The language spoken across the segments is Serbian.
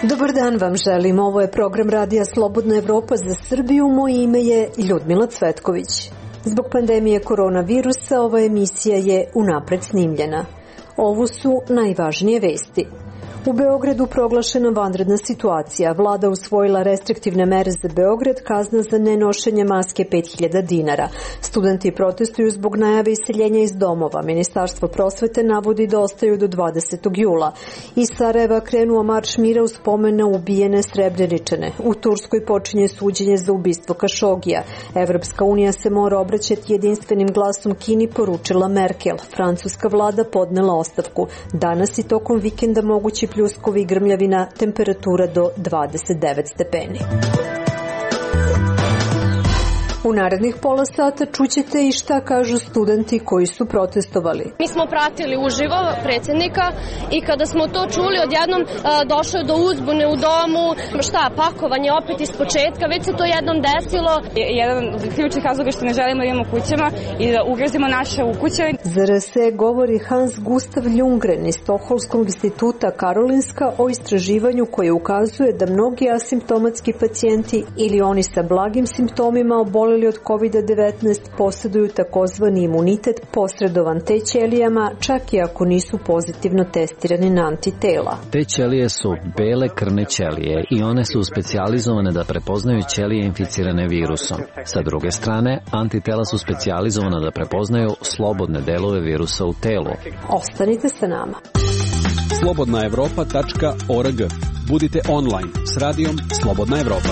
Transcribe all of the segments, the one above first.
Dobar dan vam želim, ovo je program Radija Slobodna Evropa za Srbiju, moje ime je Ljudmila Cvetković. Zbog pandemije koronavirusa ova emisija je unapred snimljena. Ovo su najvažnije vesti. U Beogradu proglašena vanredna situacija. Vlada usvojila restriktivne mere za Beograd, kazna za nenošenje maske 5.000 dinara. Studenti protestuju zbog najave iseljenja iz domova. Ministarstvo prosvete navodi da ostaju do 20. jula. Iz Sarajeva krenuo marš mira u spomen na ubijene Srebreničane. U Turskoj počinje suđenje za ubistvo Kašogija. Evropska unija se mora obraćati jedinstvenim glasom Kini, poručila Merkel. Francuska vlada podnela ostavku. Danas i tokom vikenda mogući pljuskovi i grmljavina, temperatura do 29 stepeni. U narednih pola sata čućete i šta kažu studenti koji su protestovali. Mi smo pratili uživo predsjednika i kada smo to čuli, odjednom došlo je do uzbune u domu, pakovanje opet iz početka, već se to jednom desilo. Jedan od ključnih razloga što ne želimo da imamo kućama i da ugrozimo naše ukuće. Za RS govori Hans Gustav Ljunggren iz Stokholmskog instituta Karolinska o istraživanju koje ukazuje da mnogi asimptomatski pacijenti ili oni sa blagim simptomima oboleli od COVID-19 posjeduju takozvani imunitet posredovan T ćelijama, čak i ako nisu pozitivno testirani na antitela. Te ćelije su bele krvne ćelije i one su specijalizovane da prepoznaju ćelije inficirane virusom. Sa druge strane, antitela su specijalizovana da prepoznaju slobodne delove virusa u telu. Ostanite sa nama. slobodnaevropa.org. Budite online s radijom Slobodna Evropa.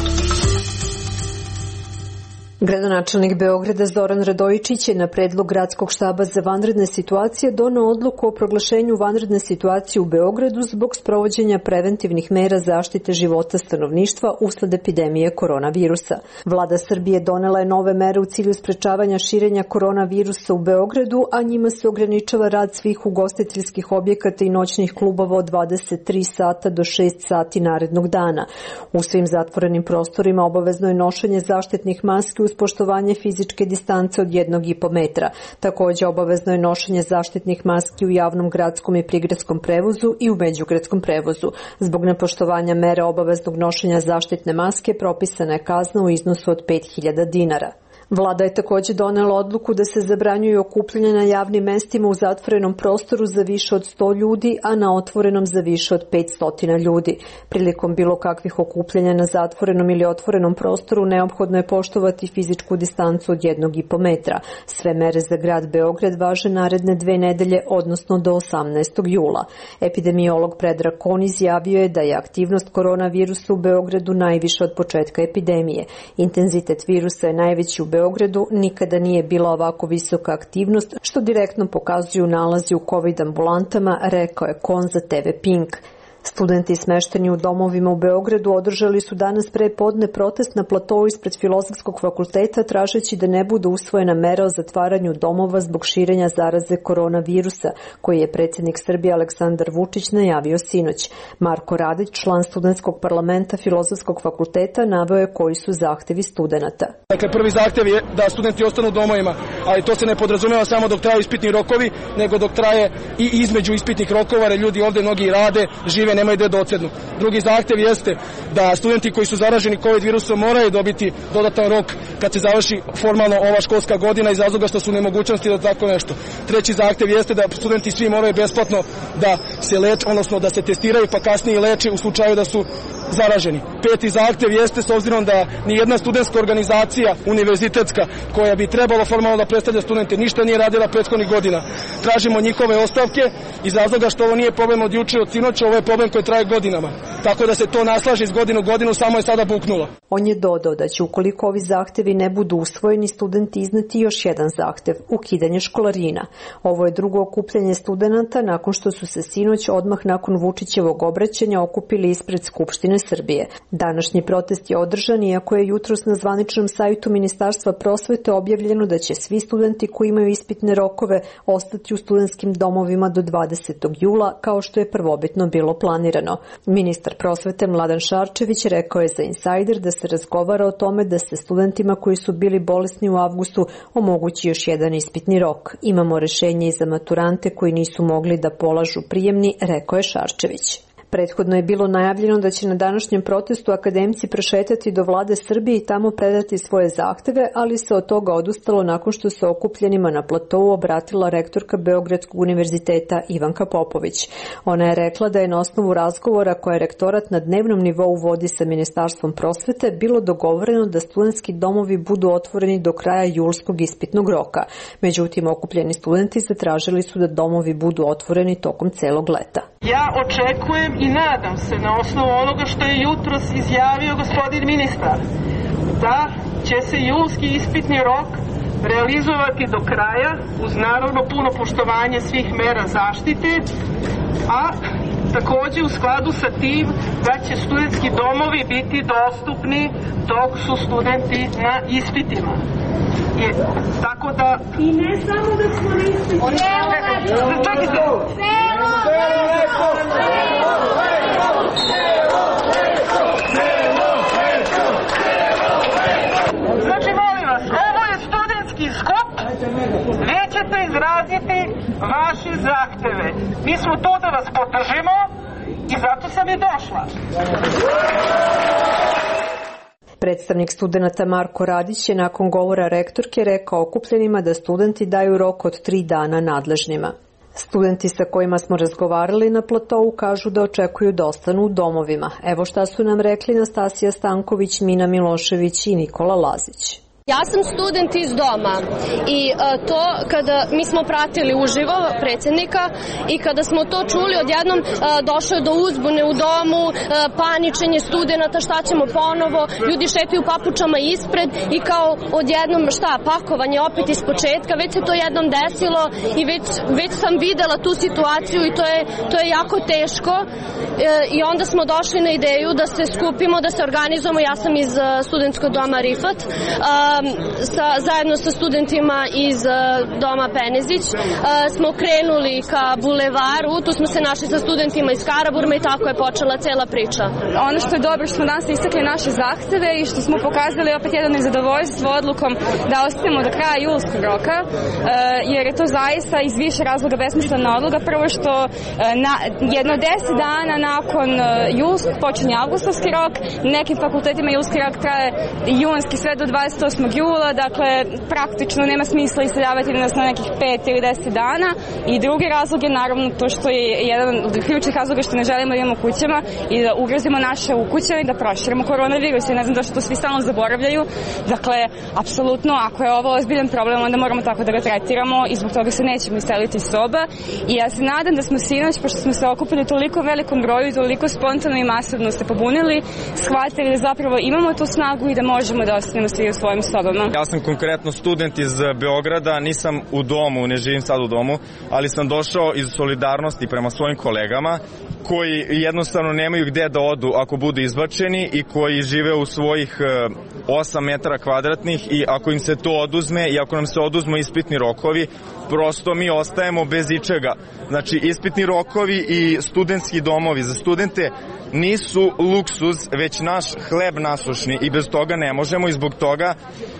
Gradonačelnik Beograda Zoran Radojičić je na predlog Gradskog štaba za vanredne situacije doneo odluku o proglašenju vanredne situacije u Beogradu zbog sprovođenja preventivnih mera zaštite života stanovništva usled epidemije koronavirusa. Vlada Srbije donela je nove mere u cilju sprečavanja širenja koronavirusa u Beogradu, a njima se ograničava rad svih ugostiteljskih objekata i noćnih klubova od 23 sata do 6 sati narednog dana. U svim zatvorenim prostorima obavezno je nošenje zaštitnih maski uz poštovanje fizičke distance od 1,5 metra. Također obavezno je nošenje zaštitnih maski u javnom gradskom i prigradskom prevozu i u međugradskom prevozu. Zbog nepoštovanja mere obaveznog nošenja zaštitne maske propisana je kazna u iznosu od 5.000 dinara. Vlada je također donela odluku da se zabranjuju okupljanja na javnim mestima u zatvorenom prostoru za više od 100 ljudi, a na otvorenom za više od 500 ljudi. Prilikom bilo kakvih okupljanja na zatvorenom ili otvorenom prostoru neophodno je poštovati fizičku distancu od 1,5 metra. Sve mere za grad Beograd važe naredne 2 nedelje, odnosno do 18. jula. Epidemiolog Predrag Kon izjavio je da je aktivnost koronavirusa u Beogradu najviša od početka epidemije. Intenzitet virusa je najveći u Beogradu, nikada nije bila ovako visoka aktivnost, što direktno pokazuju nalazi u COVID ambulantama, rekao je Kon za TV Pink. Studenti smešteni u domovima u Beogradu održali su danas pre podne protest na platou ispred Filozofskog fakulteta tražeći da ne bude usvojena mera o zatvaranju domova zbog širenja zaraze koronavirusa, koji je predsjednik Srbije Aleksandar Vučić najavio sinoć. Marko Radić, član studentskog parlamenta Filozofskog fakulteta, naveo je koji su zahtevi studenata. Dakle, prvi zahtev je da studenti ostanu u domovima, ali to se ne podrazumeva samo dok traju ispitni rokovi, nego dok traje i između ispitnih rokova, jer ljudi ovde mnogi rade, žive, nemaju gde da odsednu. Drugi zahtev jeste da studenti koji su zaraženi COVID virusom moraju dobiti dodatan rok kad se završi formalno ova školska godina iz razloga što su nemogućnosti da tako nešto. Treći zahtev jeste da studenti svi moraju besplatno da se leče, odnosno da se testiraju pa kasnije leče u slučaju da su zaraženi. Peti zahtev jeste, s obzirom da nijedna studentska organizacija univerzitetska koja bi trebalo formalno da predstavlja studente ništa nije radila prethodnih godina. Tražimo njihove ostavke iz razloga što ovo nije problem od juče, od sinoća, ovo je problem koji traje godinama. Tako da se to naslaže iz godine u godinu, samo je sada buknulo. On je dodao da će, ukoliko ovi zahtevi ne budu usvojeni, studenti izneti još jedan zahtev, ukidanje školarina. Ovo je drugo okupljanje studenata nakon što su se sinoć odmah nakon Vučićevog obraćanja okupili ispred Skupštine Srbije. Današnji protest je održan iako je jutros na zvaničnom sajtu Ministarstva prosvete objavljeno da će svi studenti koji imaju ispitne rokove ostati u studentskim domovima do 20. jula, kao što je prvobitno bilo planirano. Ministar prosvete Mladen Šarčević rekao je za Insider da se razgovara o tome da se studentima koji su bili bolesni u avgustu omogući još jedan ispitni rok. Imamo rešenje i za maturante koji nisu mogli da polažu prijemni, rekao je Šarčević. Prethodno je bilo najavljeno da će na današnjem protestu akademci prošetati do vlade Srbije i tamo predati svoje zahteve, ali se od toga odustalo nakon što se okupljenima na platou obratila rektorka Beogradskog univerziteta Ivanka Popović. Ona je rekla da je na osnovu razgovora koje rektorat na dnevnom nivou vodi sa Ministarstvom prosvete bilo dogovoreno da studentski domovi budu otvoreni do kraja julskog ispitnog roka. Međutim, okupljeni studenti zatražili su da domovi budu otvoreni tokom celog leta. Ja očekujem i nadam se na osnovu onoga što je jutros izjavio gospodin ministar da će se julski ispitni rok realizovati do kraja uz naravno puno poštovanje svih mera zaštite, a takođe u skladu sa tim da će studentski domovi biti dostupni dok su studenti na ispitima. Tako da... I ne samo da smo na ispitima. Čekajte! Znači, molim vas, ovo je studentski skup, vi ćete izraziti vaše zahteve. Mi smo tu da vas podržimo i zato sam i došla. Predstavnik studenata Marko Radić je nakon govora rektorke rekao okupljenima da studenti daju rok od 3 dana nadležnima. Studenti sa kojima smo razgovarali na platovu kažu da očekuju da ostanu u domovima. Evo šta su nam rekli Nastasija Stanković, Mina Milošević i Nikola Lazić. Ja sam student iz doma i to kada mi smo pratili uživo predsjednika i kada smo to čuli odjednom došlo je do uzbune u domu, paničenje studenata, šta ćemo ponovo, ljudi šetaju papučama ispred i kao odjednom pakovanje opet iz početka, već se to jednom desilo i već sam videla tu situaciju i to je jako teško i onda smo došli na ideju da se skupimo, da se organizujemo, ja sam iz studentskog doma Rifat, zajedno sa studentima iz doma Penezić smo krenuli ka bulevaru, tu smo se našli sa studentima iz Karaburme i tako je počela cela priča. Ono što je dobro što smo danas istakli naše zahteve i što smo pokazali opet jedno nezadovoljstvo odlukom da ostavimo do kraja julskog roka, jer je to zaista iz više razloga besmislena odluka. Prvo što jedno 10 dana nakon julskog počinje avgustovski rok, nekim fakultetima julski rok traje junski sve do 28. jula, dakle praktično nema smisla iseljavati nas na nekih 5 ili 10 dana i drugi razlog je naravno to što je jedan od ključnih razloga što ne želimo da imamo kućama i da ugrozimo naše ukućane i da proširimo koronavirus. Ja ne znam zašto to svi stalno zaboravljaju. Dakle, apsolutno, ako je ovo ozbiljan problem, onda moramo tako da ga tretiramo i zbog toga se nećemo iseliti iz soba. I ja se nadam da smo sinoć, pošto smo se okupili toliko velikom broju i toliko spontano i masovno se pobunili, shvatili da zapravo imamo tu snagu i da možemo da ostanemo svi u svojim sobama. Ja sam konkretno student iz Beograda, nisam u domu, ne živim sad u domu, ali sam došao iz solidarnosti prema svojim kolegama koji jednostavno nemaju gde da odu ako budu izbačeni i koji žive u svojih 8 metara kvadratnih i ako im se to oduzme i ako nam se oduzmu ispitni rokovi, prosto mi ostajemo bez ičega. Znači, ispitni rokovi i studentski domovi za studente nisu luksuz, već naš hleb nasušni i bez toga ne možemo i zbog toga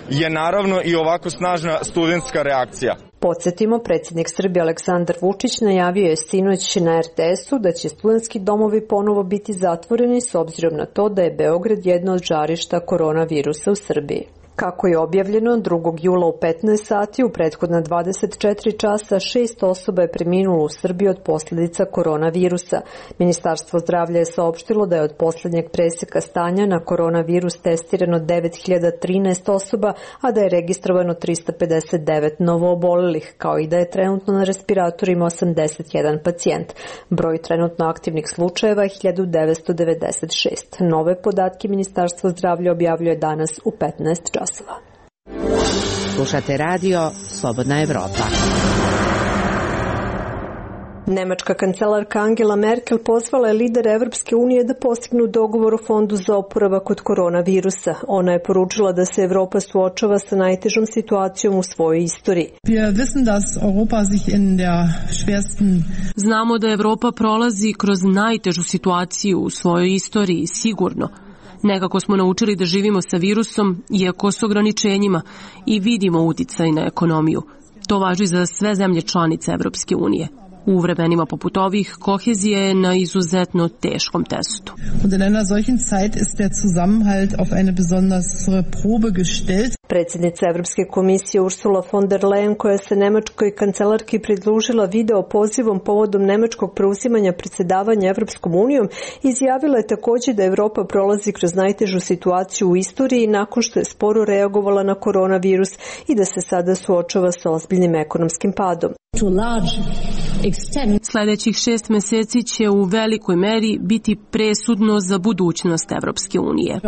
je naravno i ovako snažna studentska reakcija. Podsjetimo, predsjednik Srbije Aleksandar Vučić najavio je sinoć na RTS-u da će studentski domovi ponovo biti zatvoreni s obzirom na to da je Beograd jedno od žarišta koronavirusa u Srbiji. Kako je objavljeno, 2. jula u 15 sati u prethodna 24 časa 6 osoba je preminulo u Srbiji od posljedica koronavirusa. Ministarstvo zdravlja je saopštilo da je od posljednjeg preseka stanja na koronavirus testirano 9013 osoba, a da je registrovano 359 novoobolelih, kao i da je trenutno na respiratorima 81 pacijent. Broj trenutno aktivnih slučajeva je 1996. Nove podatke Ministarstvo zdravlja objavljuje danas u 15 časova. Slušate radio Slobodna Evropa. Nemačka kancelarka Angela Merkel pozvala je lidere Evropske unije da postignu dogovor o fondu za oporavak od koronavirusa. Ona je poručila da se Evropa suočava sa najtežom situacijom u svojoj istoriji. Znamo da Evropa prolazi kroz najtežu situaciju u svojoj istoriji, sigurno. Nekako smo naučili da živimo sa virusom, iako s ograničenjima, i vidimo uticaj na ekonomiju. To važi za sve zemlje članice Evropske unije. U vremenima poput ovih, kohezija je na izuzetno teškom testu. Predsjednica Evropske komisije Ursula von der Leyen, koja se nemačkoj kancelarki pridružila video pozivom povodom nemačkog preuzimanja predsjedavanja Evropskom unijom, izjavila je također da Evropa prolazi kroz najtežu situaciju u istoriji nakon što je sporo reagovala na koronavirus i da se sada suočava sa ozbiljnim ekonomskim padom. Sljedećih 6 mjeseci će u velikoj meri biti presudno za budućnost Evropske unije.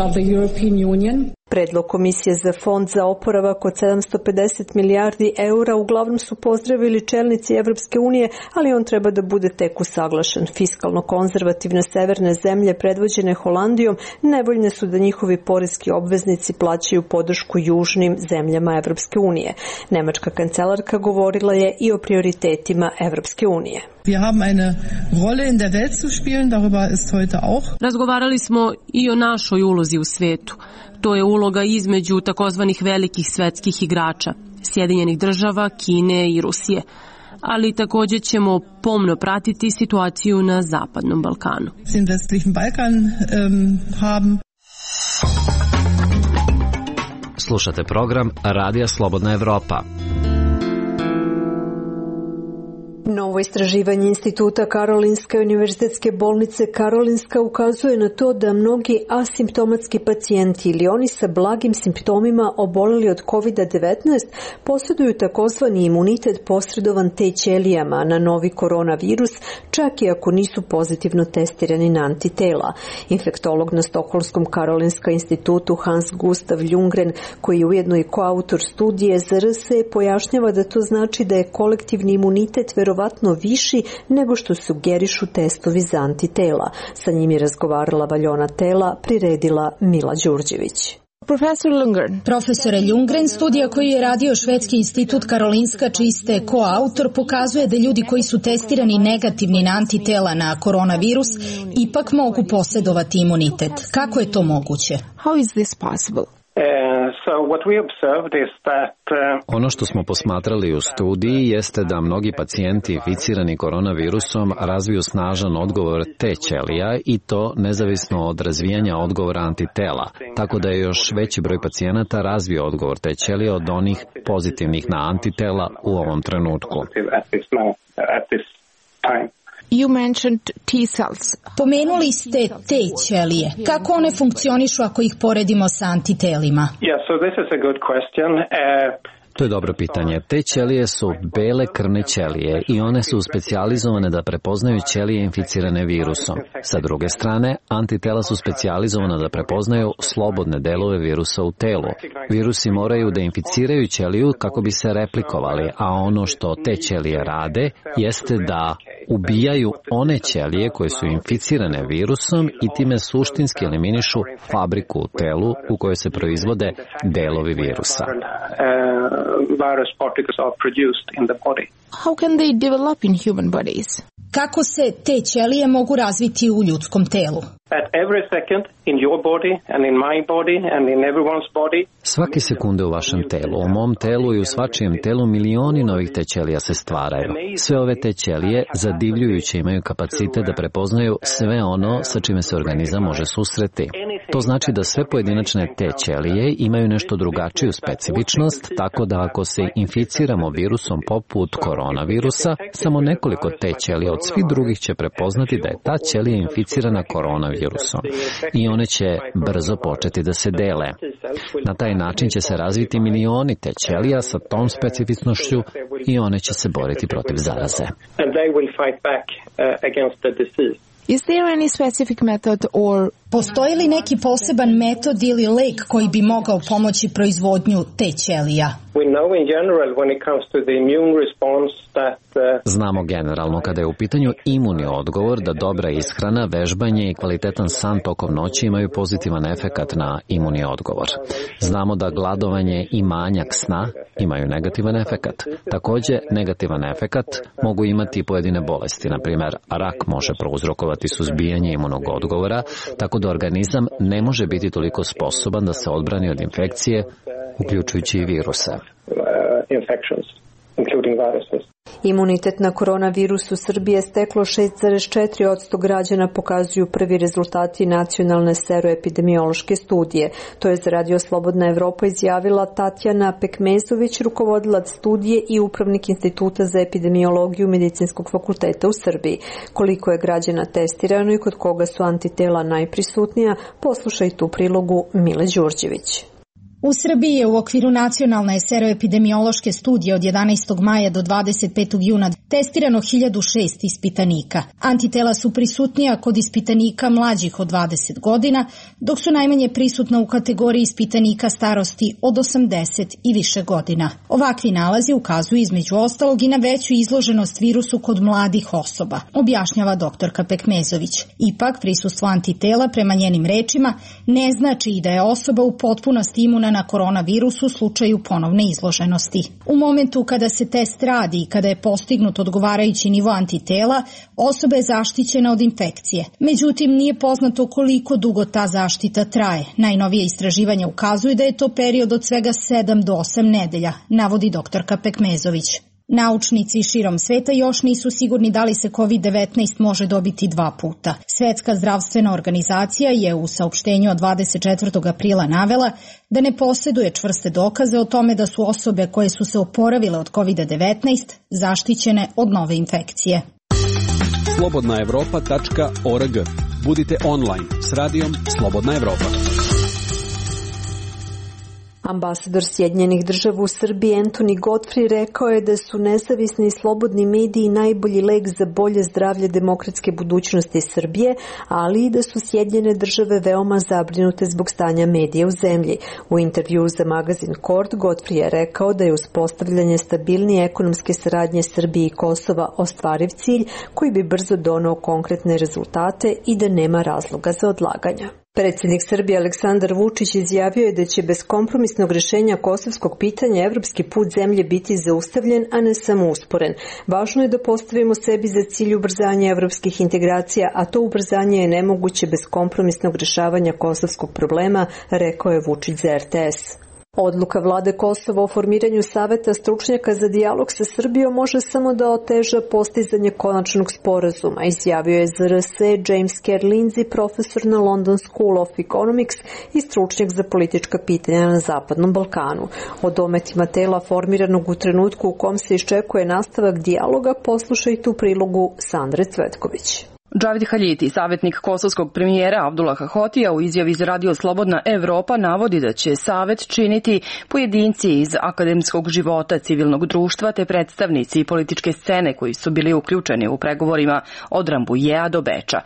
Predlog Komisije za fond za oporavak od 750 milijardi eura uglavnom su pozdravili čelnici Evropske unije, ali on treba da bude tek usaglašen. Fiskalno konzervativne severne zemlje predvođene Holandijom nevoljne su da njihovi poreski obveznici plaćaju podršku južnim zemljama Evropske unije. Nemačka kancelarka govorila je i o prioritetima Evropske unije. Razgovarali smo i o našoj ulozi u svetu. To je uloga između takozvanih velikih svetskih igrača, Sjedinjenih država, Kine i Rusije. Ali također ćemo pomno pratiti situaciju na Zapadnom Balkanu. Slušate program Radija Slobodna Evropa. Novo istraživanje Instituta Karolinske univerzitetske bolnice Karolinska ukazuje na to da mnogi asimptomatski pacijenti ili oni sa blagim simptomima oboleli od COVID-19 posjeduju takozvani imunitet posredovan T ćelijama na novi koronavirus, čak i ako nisu pozitivno testirani na antitela. Infektolog na Stokholmskom Karolinska institutu Hans Gustav Ljunggren, koji je ujedno i koautor studije za RSE, pojašnjava da to znači da je kolektivni imunitet verovatno viši nego što sugerišu testovi za antitela. Sa njim je razgovarala Valjona Tela, priredila Mila Đurđević. Profesore Ljunggren, studija koju je radio Švedski institut Karolinska, čiji ste koautor, pokazuje da ljudi koji su testirani negativni na antitela na koronavirus ipak mogu posjedovati imunitet. Kako je to moguće? How is this possible? Ono što smo posmatrali u studiji jeste da mnogi pacijenti inficirani koronavirusom razviju snažan odgovor T ćelija i to nezavisno od razvijanja odgovora antitela, tako da je još veći broj pacijenata razvio odgovor T ćelija od onih pozitivnih na antitela u ovom trenutku. You mentioned T cells. Pomenuli ste T ćelije. Kako one funkcionišu ako ih poredimo sa antitelima? So this is a good question. To je dobro pitanje. Te ćelije su bele krvne ćelije i one su specijalizovane da prepoznaju ćelije inficirane virusom. Sa druge strane, antitela su specijalizovane da prepoznaju slobodne delove virusa u telu. Virusi moraju da inficiraju ćeliju kako bi se replikovali, a ono što te ćelije rade jeste da ubijaju one ćelije koje su inficirane virusom i time suštinski eliminišu fabriku u telu u kojoj se proizvode delovi virusa. Virus particles are produced in the body. How can they develop in human bodies? Kako se te ćelije mogu razviti u ljudskom telu? At every second in your body and in my body and in everyone's body. Svake sekunde u vašem telu, u mom telu i u svačijem telu milioni novih te ćelija se stvaraju. Sve ove te ćelije zadivljujuće imaju kapacitet da prepoznaju sve ono sa čime se organizam može susreti. To znači da sve pojedinačne te ćelije imaju nešto drugačiju specifičnost, tako da ako se inficiramo virusom poput koronavirusa, samo nekoliko te ćelija od svih drugih će prepoznati da je ta ćelija inficirana koronavirusom i one će brzo početi da se dele. Na taj način će se razviti milioni te ćelija sa tom specifičnošću i one će se boriti protiv zaraze. Is there any specific method or Postoji li neki poseban metod ili lek koji bi mogao pomoći proizvodnju te ćelija? Znamo generalno kada je u pitanju imunni odgovor da dobra ishrana, vežbanje i kvalitetan san tokom noći imaju pozitivan efekat na imunni odgovor. Znamo da gladovanje i manjak sna imaju negativan efekat. Takođe, negativan efekat mogu imati pojedine bolesti, na primjer rak može prouzrokovati suzbijanje imunog odgovora, tako da organizam ne može biti toliko sposoban da se odbrani od infekcije, uključujući i viruse. Imunitet na koronavirus u Srbiji je steklo 6,4% građana, pokazuju prvi rezultati nacionalne seroepidemiološke studije. To je za Radio Slobodna Evropa izjavila Tatjana Pekmezović, rukovodilac studije i upravnik Instituta za epidemiologiju Medicinskog fakulteta u Srbiji. Koliko je građana testirano i kod koga su antitela najprisutnija, poslušajte u prilogu Mile Đurđević. U Srbiji je u okviru nacionalne seroepidemiološke studije od 11. maja do 25. juna testirano 1006 ispitanika. Antitela su prisutnija kod ispitanika mlađih od 20 godina, dok su najmanje prisutna u kategoriji ispitanika starosti od 80 i više godina. Ovakvi nalazi ukazuju između ostalog i na veću izloženost virusu kod mladih osoba, objašnjava doktorka Pekmezović. Ipak, prisustvo antitela, prema njenim rečima, ne znači i da je osoba u potpunosti imuna na koronavirus u slučaju ponovne izloženosti. U momentu kada se test radi i kada je postignut odgovarajući nivo antitela, osoba je zaštićena od infekcije. Međutim, nije poznato koliko dugo ta zaštita traje. Najnovije istraživanja ukazuju da je to period od svega 7 do 8 nedelja, navodi doktorka Pekmezović. Naučnici širom sveta još nisu sigurni da li se COVID-19 može dobiti 2 puta. Svetska zdravstvena organizacija je u saopštenju od 24. aprila navela da ne posjeduje čvrste dokaze o tome da su osobe koje su se oporavile od COVID-19 zaštićene od nove infekcije. slobodnaevropa.org. Budite online s radijom Slobodna Evropa. Ambasador Sjedinjenih Država u Srbiji Anthony Godfrey rekao je da su nezavisni i slobodni mediji najbolji lek za bolje zdravlje demokratske budućnosti Srbije, ali i da su Sjedinjene Države veoma zabrinute zbog stanja medija u zemlji. U intervjuu za magazin Kord, Godfrey je rekao da je uspostavljanje stabilnije ekonomske saradnje Srbije i Kosova ostvariv cilj koji bi brzo doneo konkretne rezultate i da nema razloga za odlaganja. Predsjednik Srbije Aleksandar Vučić izjavio je da će bez kompromisnog rješenja kosovskog pitanja evropski put zemlje biti zaustavljen, a ne samo usporen. Važno je da postavimo sebi za cilj ubrzanje evropskih integracija, a to ubrzanje je nemoguće bez kompromisnog rješavanja kosovskog problema, rekao je Vučić za RTS. Odluka vlade Kosova o formiranju saveta stručnjaka za dijalog sa Srbijom može samo da oteža postizanje konačnog sporazuma, izjavio je za RS James Kerr Lindsay, profesor na London School of Economics i stručnjak za politička pitanja na Zapadnom Balkanu. O dometima tela formiranog u trenutku u kom se iščekuje nastavak dijaloga poslušajte u prilogu Sandre Cvetković. Džavid Haljiti, savjetnik kosovskog premijera Abdullaha Hotija, u izjavi za Radio Slobodna Evropa navodi da će savet činiti pojedinci iz akademskog života, civilnog društva te predstavnici političke scene koji su bili uključeni u pregovorima od Rambujea do Beča.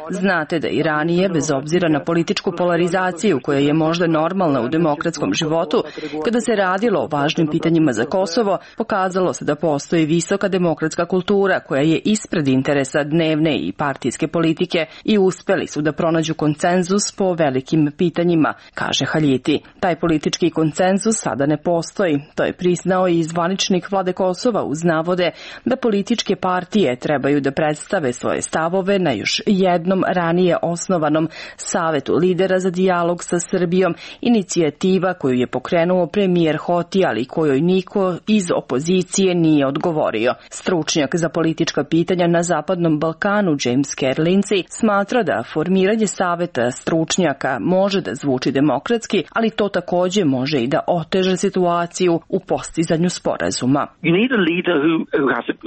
Znate da i ranije, bez obzira na političku polarizaciju koja je možda normalna u demokratskom životu, kada se radilo o važnim pitanjima za Kosovo, pokazalo se da postoji visoka demokratska kultura koja je ispred interesa dnevne i partijske politike i uspeli su da pronađu konsenzus po velikim pitanjima, kaže Haljiti. Taj politički konsenzus sada ne postoji. To je priznao i zvaničnik vlade Kosova uz navode da političke partije trebaju da predstave svoje stavove na još jednom ranije osnovanom savetu lidera za dijalog sa Srbijom, inicijativa koju je pokrenuo premijer Hoti, ali kojoj niko iz opozicije nije odgovorio. Stručnjak za politička pitanja na Zapadnom Balkanu James Kerr Lindsay smatra da formiranje saveta stručnjaka može da zvuči demokratski, ali to takođe može i da oteže situaciju u postizanju sporazuma.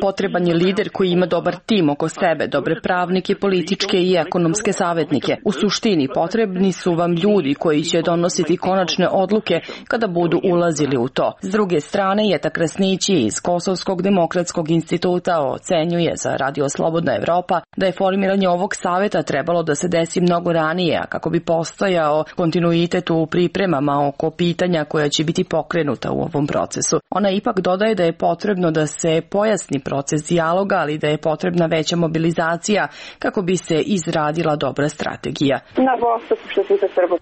Potreban je lider koji ima dobar tim oko sebe, dobre pravnike, političke i ekonomske savjetnike. U suštini potrebni su vam ljudi koji će donositi konačne odluke kada budu ulazili u to. S druge strane, Jeta Krasnići iz Kosovskog demokratskog instituta instituta ocenjuje za Radio Slobodna Evropa da je formiranje ovog saveta trebalo da se desi mnogo ranije, a kako bi postojao kontinuitet u pripremama oko pitanja koja će biti pokrenuta u ovom procesu. Ona ipak dodaje da je potrebno da se pojasni proces dijaloga, ali da je potrebna veća mobilizacija kako bi se izradila dobra strategija.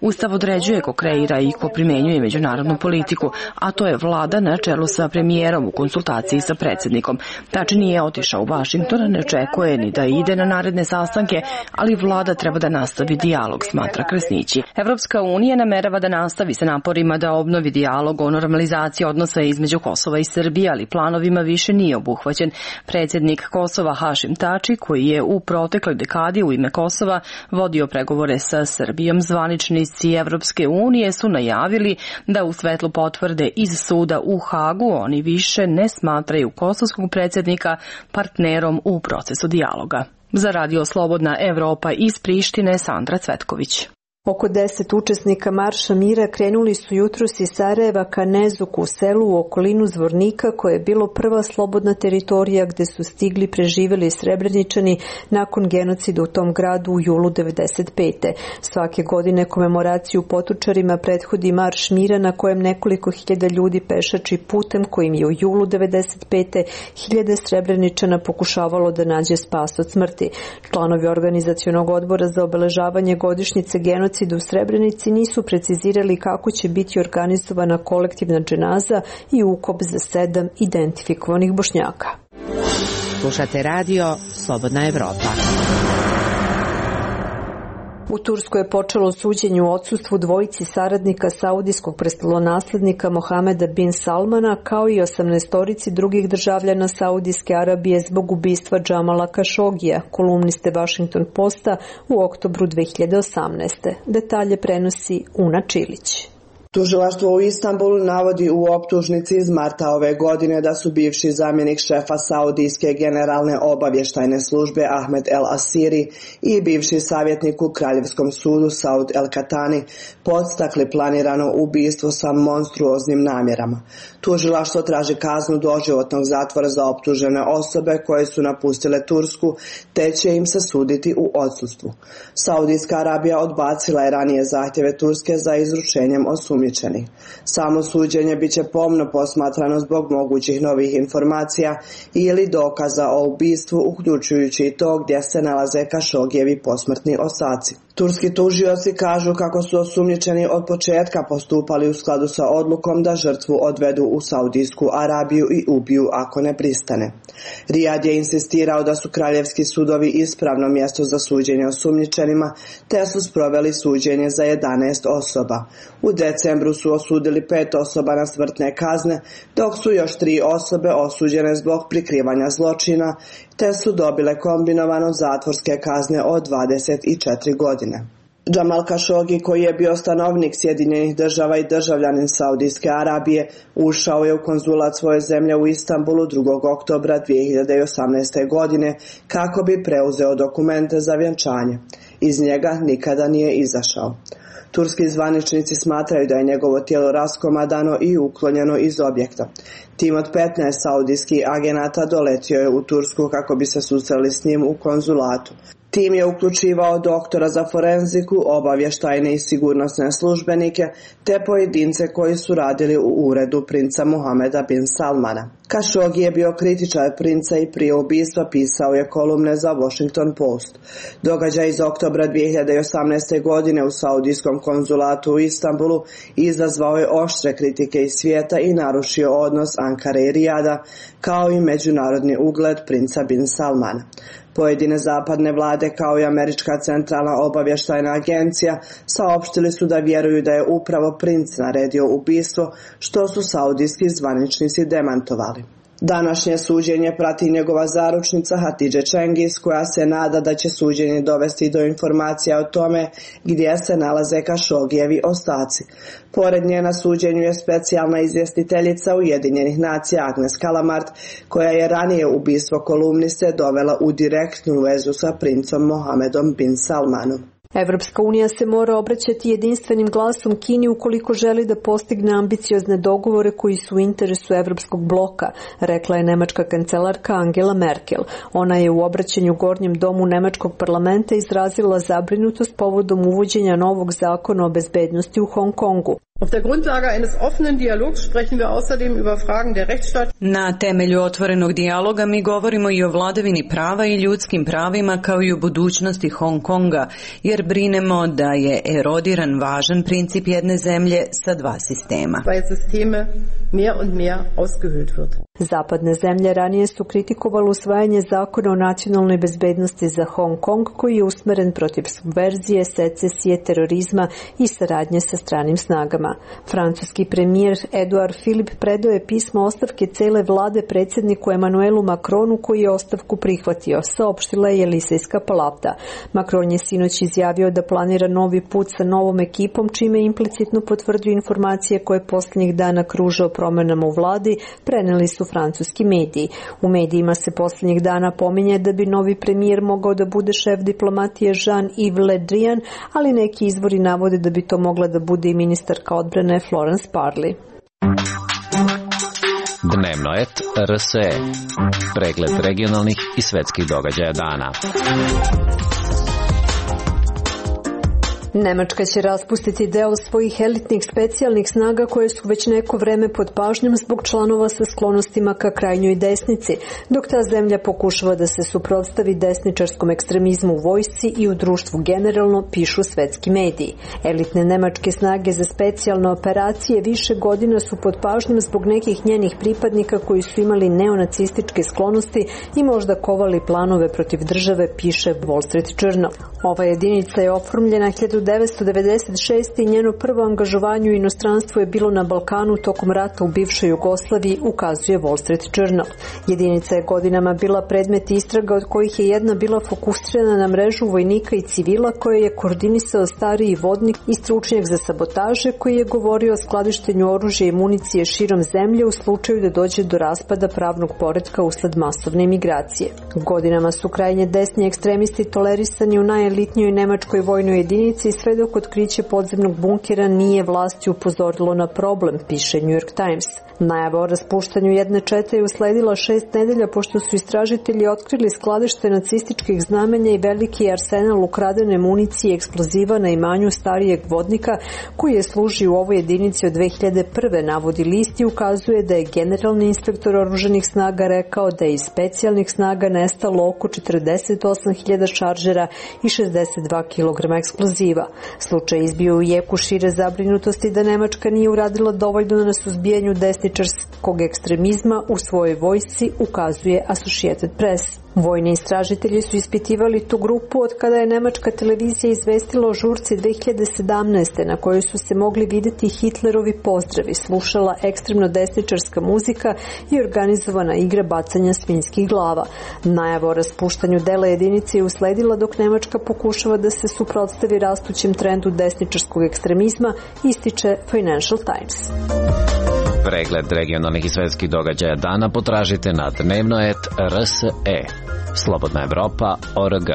Ustav određuje ko kreira i ko primenjuje međunarodnu politiku, a to je vlada na čelu sa premijerom u konsultaciji sa predsjednikom. Tači nije otišao u Vašington, ne očekuje ni da ide na naredne sastanke, ali vlada treba da nastavi dijalog, smatra Kresnići. Evropska unija namerava da nastavi sa naporima da obnovi dijalog o normalizaciji odnosa između Kosova i Srbije, ali planovima više nije obuhvaćen. Predsjednik Kosova Hašim Tači, koji je u protekloj dekadi u ime Kosova vodio pregovore sa Srbijom, zvaničnici Evropske unije su najavili da u svetlu potvrde iz suda u Hagu oni više ne smatraju kosovskog predsjednika partnerom u procesu dijaloga. Za Radio Slobodna Evropa iz Prištine, Sandra Cvetković. Oko 10 učesnika Marša mira krenuli su jutros iz Sarajeva ka Nezuku, selu u okolinu Zvornika, koje je bilo prva slobodna teritorija gde su stigli preživjeli Srebreničani nakon genocida u tom gradu u julu 1995. Svake godine komemoraciju potučarima prethodi Marš mira na kojem nekoliko hiljada ljudi pešači putem kojim je u julu 1995. hiljade Srebreničana pokušavalo da nađe spas od smrti. Članovi organizacionog odbora za obeležavanje godišnjice genocida u Srebrenici nisu precizirali kako će biti organizovana kolektivna dženaza i ukop za 7 identifikovanih Bošnjaka. Slušate radio Slobodna Evropa. U Turskoj je počelo suđenje u odsustvu dvojici saradnika saudijskog prestolonaslednika Mohameda bin Salmana, kao i 18 drugih državljana Saudijske Arabije zbog ubistva Džamala Kašogija, kolumniste Washington Posta u oktobru 2018. Detalje prenosi Una Čilić. Tužilaštvo u Istanbulu navodi u optužnici iz marta ove godine da su bivši zamjenik šefa Saudijske generalne obavještajne službe Ahmed El Asiri i bivši savjetnik u Kraljevskom sudu Saud El Katani podstakli planirano ubistvo sa monstruoznim namjerama. Tužilaštvo traži kaznu doživotnog zatvora za optužene osobe koje su napustile Tursku, te će im se suditi u odsustvu. Saudijska Arabija odbacila je ranije zahtjeve Turske za izručenjem osumnjičenih. Samo suđenje biće pomno posmatrano zbog mogućih novih informacija ili dokaza o ubistvu, uključujući i to gdje se nalaze Kašogijevi posmrtni ostaci. Turski tužioci kažu kako su osumnjičeni od početka postupali u skladu sa odlukom da žrtvu odvedu u Saudijsku Arabiju i ubiju ako ne pristane. Rijad je insistirao da su kraljevski sudovi ispravno mjesto za suđenje osumnjičenima, te su sproveli suđenje za 11 osoba. U decembru su osudili 5 osoba na smrtne kazne, dok su još 3 osobe osuđene zbog prikrivanja zločina, te su dobile kombinovano zatvorske kazne od 24 godine. Džamal Kašogi, koji je bio stanovnik Sjedinjenih država i državljanin Saudijske Arabije, ušao je u konzulat svoje zemlje u Istanbulu 2. oktobra 2018. godine kako bi preuzeo dokumente za vjenčanje. Iz njega nikada nije izašao. Turski zvaničnici smatraju da je njegovo tijelo raskomadano i uklonjeno iz objekta. Tim od 15 saudijskih agenata doletio je u Tursku kako bi se susreli s njim u konzulatu. Tim je uključivao doktora za forenziku, obavještajne i sigurnosne službenike, te pojedince koji su radili u uredu princa Mohameda bin Salmana. Kašogi je bio kritičar princa i prije ubistva pisao je kolumne za Washington Post. Događaj iz oktobra 2018. godine u saudijskom konzulatu u Istanbulu izazvao je oštre kritike iz svijeta i narušio odnos Ankare i Rijada, kao i međunarodni ugled princa bin Salmana. Pojedine zapadne vlade kao i Američka centralna obavještajna agencija saopštili su da vjeruju da je upravo princ naredio ubistvo, što su saudijski zvaničnici demantovali. Današnje suđenje prati njegova zaručnica Hatidže Cengiz, koja se nada da će suđenje dovesti do informacija o tome gdje se nalaze Kašogijevi ostaci. Pored nje na suđenju je specijalna izvjestiteljica Ujedinjenih nacija Agnes Kalamart, koja je ranije ubistvo kolumniste dovela u direktnu vezu sa princom Mohamedom bin Salmanom. Evropska unija se mora obraćati jedinstvenim glasom Kini ukoliko želi da postigne ambiciozne dogovore koji su u interesu Evropskog bloka, rekla je nemačka kancelarka Angela Merkel. Ona je u obraćanju Gornjem domu nemačkog parlamenta izrazila zabrinutost povodom uvođenja novog zakona o bezbednosti u Hong Kongu. Na temelju otvorenog dijaloga mi govorimo i o vladavini prava i ljudskim pravima kao i o budućnosti Hong Konga, jer brinemo da je erodiran važan princip jedne zemlje sa dva sistema. Zapadne zemlje ranije su kritikovali usvajanje zakona o nacionalnoj bezbednosti za Hong Kong koji je usmeren protiv subverzije, secesije, terorizma i saradnje sa stranim snagama. Francuski premijer Edouard Philippe predao je pismo ostavke cele vlade predsjedniku Emmanuelu Macronu koji je ostavku prihvatio, saopštila je Elysejska palata. Macron je sinoć izjavio da planira novi put sa novom ekipom, čime implicitno potvrdio informacije koje posljednjih dana kruže o promenama u vladi, preneli su francuski mediji. U medijima se posljednjih dana pominje da bi novi premijer mogao da bude šef diplomatije Jean-Yves Le Drian, ali neki izvori navode da bi to mogla da bude i ministarka odbrane Florence Parly. Dnevno et RSE. Pregled regionalnih i svetskih događaja dana. Nemačka će raspustiti deo svojih elitnih specijalnih snaga koje su već neko vreme pod pažnjom zbog članova sa sklonostima ka krajnjoj desnici, dok ta zemlja pokušava da se suprotstavi desničarskom ekstremizmu u vojsci i u društvu generalno, pišu svetski mediji. Elitne nemačke snage za specijalne operacije više godina su pod pažnjom zbog nekih njenih pripadnika koji su imali neonacističke sklonosti i možda kovali planove protiv države, piše Wall Street Journal. Ova jedinica je oformljena 1996. i njeno prvo angažovanje u inostranstvu je bilo na Balkanu tokom rata u bivšoj Jugoslaviji, ukazuje Wall Street Journal. Jedinica je godinama bila predmet istraga od kojih je jedna bila fokusirana na mrežu vojnika i civila koje je koordinisao stariji vodnik i stručnjak za sabotaže koji je govorio o skladištenju oružja i municije širom zemlje u slučaju da dođe do raspada pravnog poretka usled masovne migracije. Godinama su krajnje desni ekstremisti tolerisani u najelitnijoj nemačkoj vojnoj jedinici sve dok otkriće podzemnog bunkera nije vlasti upozorilo na problem, piše New York Times. Najava o raspuštanju jedne čete je usledila 6 nedelja pošto su istražitelji otkrili skladište nacističkih znamenja i veliki arsenal ukradene municije i eksploziva na imanju starijeg vodnika koji je služio u ovoj jedinici od 2001. navodi list i ukazuje da je generalni inspektor oružanih snaga rekao da je iz specijalnih snaga nestalo oko 48.000 šaržera i 62 kg eksploziva. Slučaj izbio u jeku šire zabrinutosti da Nemačka nije uradila dovoljno na suzbijanju desničarskog ekstremizma u svojoj vojsci, ukazuje Associated Press. Vojni istražitelji su ispitivali tu grupu od kada je nemačka televizija izvestila o žurci 2017. na kojoj su se mogli vidjeti Hitlerovi pozdravi, slušala ekstremno desničarska muzika i organizovana igra bacanja svinjskih glava. Najava o raspuštanju dela jedinice je usledila dok Nemačka pokušava da se suprotstavi rastućem trendu desničarskog ekstremizma, ističe Financial Times. Pregled regionalnih i svetskih događaja dana potražite na dnevnoet.rse. Slobodna Evropa.org.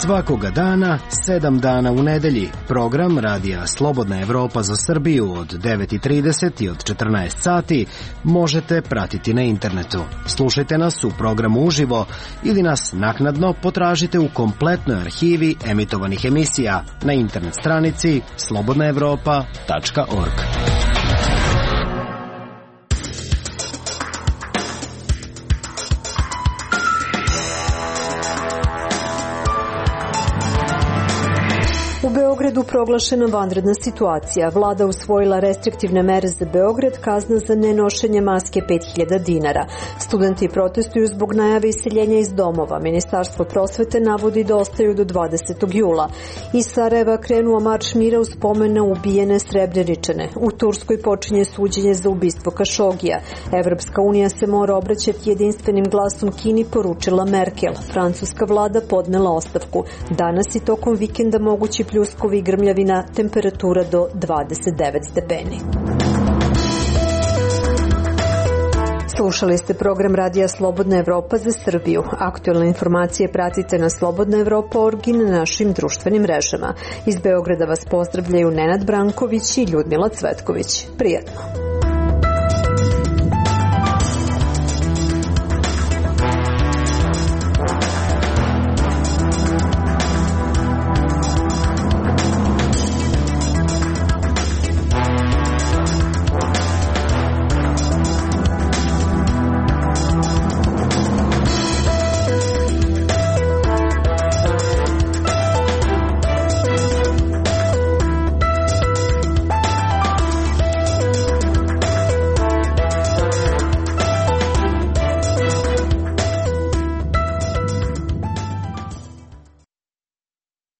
Svakoga dana, 7 dana u nedelji. Program radija Slobodna Evropa za Srbiju od 9:30 i od 14 sati možete pratiti na internetu. Slušajte nas u programu uživo ili nas naknadno potražite u kompletnoj arhivi emitovanih emisija na internet stranici slobodnaevropa.org. U Beogradu proglašena vanredna situacija. Vlada usvojila restriktivne mere za Beograd, kazna za nenošenje maske 5.000 dinara. Studenti protestuju zbog najave iseljenja iz domova. Ministarstvo prosvete navodi da ostaju do 20. jula. Iz Sarajeva krenuo marš mira u spomen na ubijene Srebreničane. U Turskoj počinje suđenje za ubistvo Kašogija. Evropska unija se mora obraćati jedinstvenim glasom Kini, poručila Merkel. Francuska vlada podnela ostavku. Danas i tokom vikenda mogući pljuskovi i grmljavina, temperatura do 29 stepeni. Slušali ste program Radija Slobodna Evropa za Srbiju. Aktuelne informacije pratite na slobodnaevropa.org i na našim društvenim mrežama. Iz Beograda vas pozdravljaju Nenad Branković i Ljudmila Cvetković. Prijetno.